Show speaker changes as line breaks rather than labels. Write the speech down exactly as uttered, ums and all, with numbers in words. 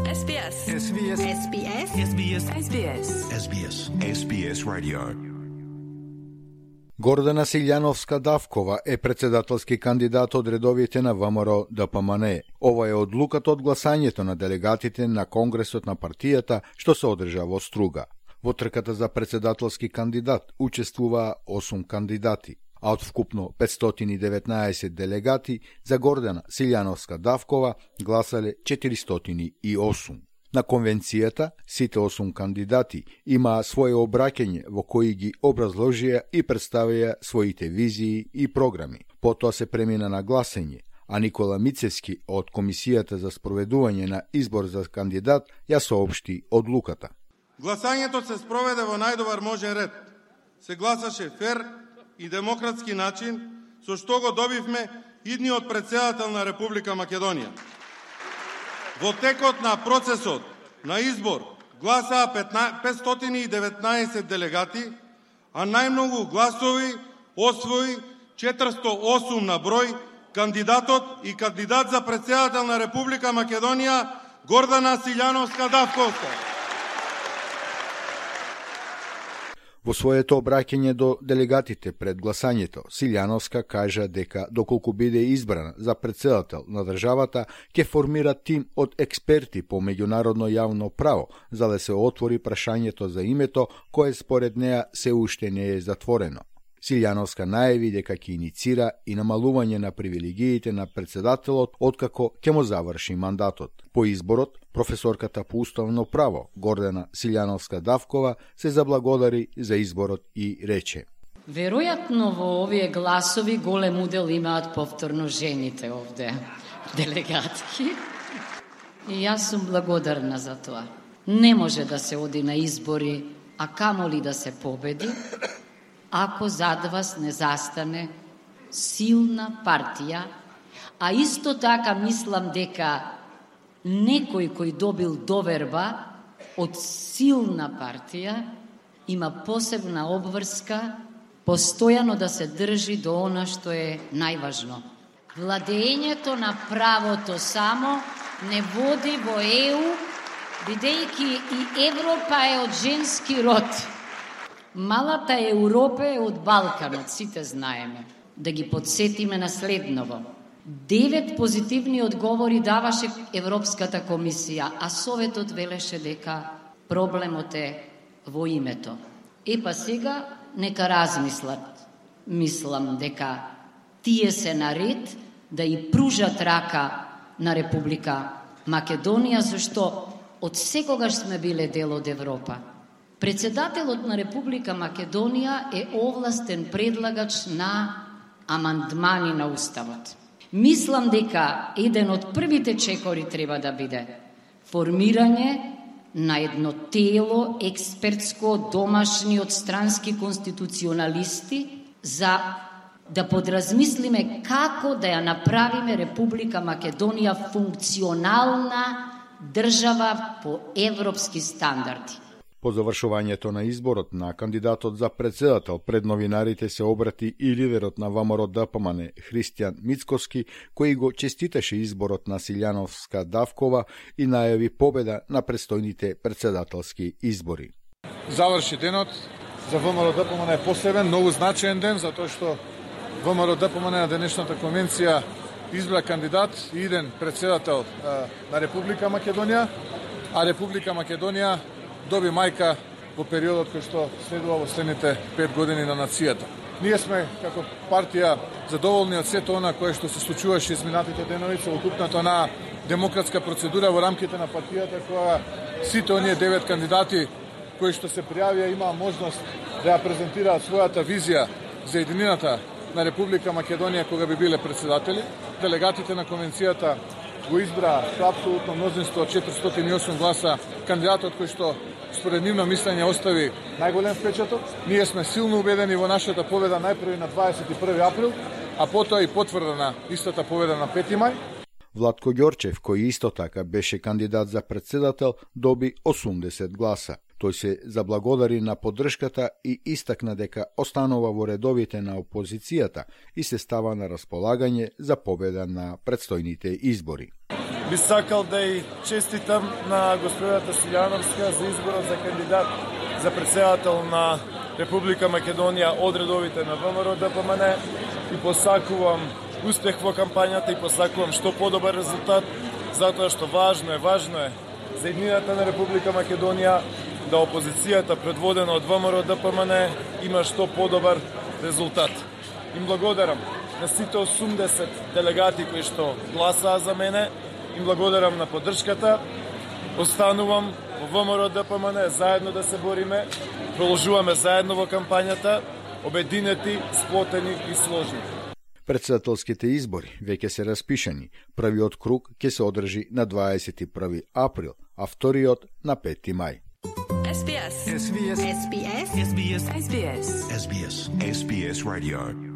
S B S.
S B S.
S B S. S B S. S B S.
S B S. S B S Radio.
Гордана Силјановска-Давкова е председателски кандидат од редовите на ВМРО Д П М Н. Ова е одлуката од гласањето на делегатите на Конгресот на партијата што се одржа во Струга. Во трката за председателски кандидат учествуваа осум кандидати, а од вкупно петстотини и деветнаесет делегати за Гордана Силјановска-Давкова гласале четиристотини и осум. На конвенцијата, сите осум кандидати имаа свое обраќање во кои ги образложија и представија своите визии и програми. Потоа се премина на гласање, а Никола Мицевски од Комисијата за спроведување на избор за кандидат ја соопшти одлуката.
Гласањето се спроведе во најдобар можен ред. Се гласаше фер и демократски начин, со што го добивме идниот председател на Република Македонија. Во текот на процесот на избор гласаа петстотини и деветнаесет делегати, а најмногу гласови освои четиристотини и осум на број кандидатот и кандидат за председател на Република Македонија Гордана Силјановска-Давкова.
Во своето обраќање до делегатите пред гласањето, Силјановска кажа дека доколку биде избрана за председател на државата, ќе формира тим од експерти по меѓународно јавно право, за да се отвори прашањето за името, кое според неа се уште не е затворено. Силјановска најави дека ќе иницира и намалување на привилегиите на председателот откако ќе му заврши мандатот. По изборот, професорката по уставно право Гордана Силјановска-Давкова се заблагодари за изборот и рече:
Веројатно во овие гласови голем удел имаат повторно жените овде, делегатки. И јас сум благодарна за тоа. Не може да се оди на избори, а камоли да се победи, ако зад вас не застане силна партија, а исто така мислам дека некој кој добил доверба од силна партија има посебна обврска постојано да се држи до она што е најважно. Владењето на правото само не води во Е У, бидејќи и Европа е од женски род. Малата Европа е од Балканот, сите знаеме. Да ги подсетиме на следново. Девет позитивни одговори даваше Европската комисија, а Советот велеше дека проблемот е во името. Е па сега нека размислат. Мислам дека тие се наред да и пружат рака на Република Македонија, зашто од секогаш сме биле дел од Европа. Председателот на Република Македонија е овластен предлагач на амандмани на Уставот. Мислам дека еден од првите чекори треба да биде формирање на едно тело експертско домашни од странски конституционалисти за да подразмислиме како да ја направиме Република Македонија функционална држава по европски стандарди.
По завршувањето на изборот на кандидатот за председател пред новинарите се обрати и лидерот на ВМРО Д П М Н Христијан Мицкоски, кој го честиташе изборот на Силјановска-Давкова и најави победа на престојните председателски избори.
Заврши денот за ВМРО Д П М Н е посебен, многу значаен ден, затоа што ВМРО Д П М Н на денешната конвенција избра кандидат и иден председател на Република Македонија, а Република Македонија доби мајка во периодот кој што следува во следните пет години на нацијата. Ние сме како партија задоволни од сето она кое што се случуваше изминатите денови со окупната на демократска процедура во рамките на партијата, која сите оние девет кандидати кои што се пријавија имаа можност да ја презентираат својата визија за единината на Република Македонија кога би биле председатели. Делегатите на конвенцијата го избра со апсолутно мнозинство од четиристотини и осум гласа кандидатот кој што според нивно мислење остави најголем впечаток. Ние сме силно убедени во нашата победа најпрви на дваесет и први април, а потоа и потврда на истата победа на пети мај.
Владко Ѓорчев, кој исто така беше кандидат за председател, доби осумдесет гласа. Тој се заблагодари на поддршката и истакна дека останува во редовите на опозицијата и се става на располагање за победа на предстојните избори.
би сакал да и честитам на господината Силјановска за изборот за кандидат за председател на Република Македонија од редовите на ВМРО Д П М Н и посакувам успех во кампањата и посакувам што подобар резултат, затоа што важно е, важно е за иднината на Република Македонија да опозицијата предводена од ВМРО Д П М Н има што подобар резултат. Им благодарам на сите осумдесет делегати кои што гласаа за мене, им благодарам на поддршката. Останувам во ВМРО Д П М Н заедно да се бориме, продолжуваме заедно во кампањата, обединети, сплотени и сложни.
Председателските избори веќе се распишани. Првиот круг ќе се одржи на дваесет и први април, а вториот на пети мај.
S B S.
S B S.
S B S. S B S. S B S.
S B S. S B S Radio.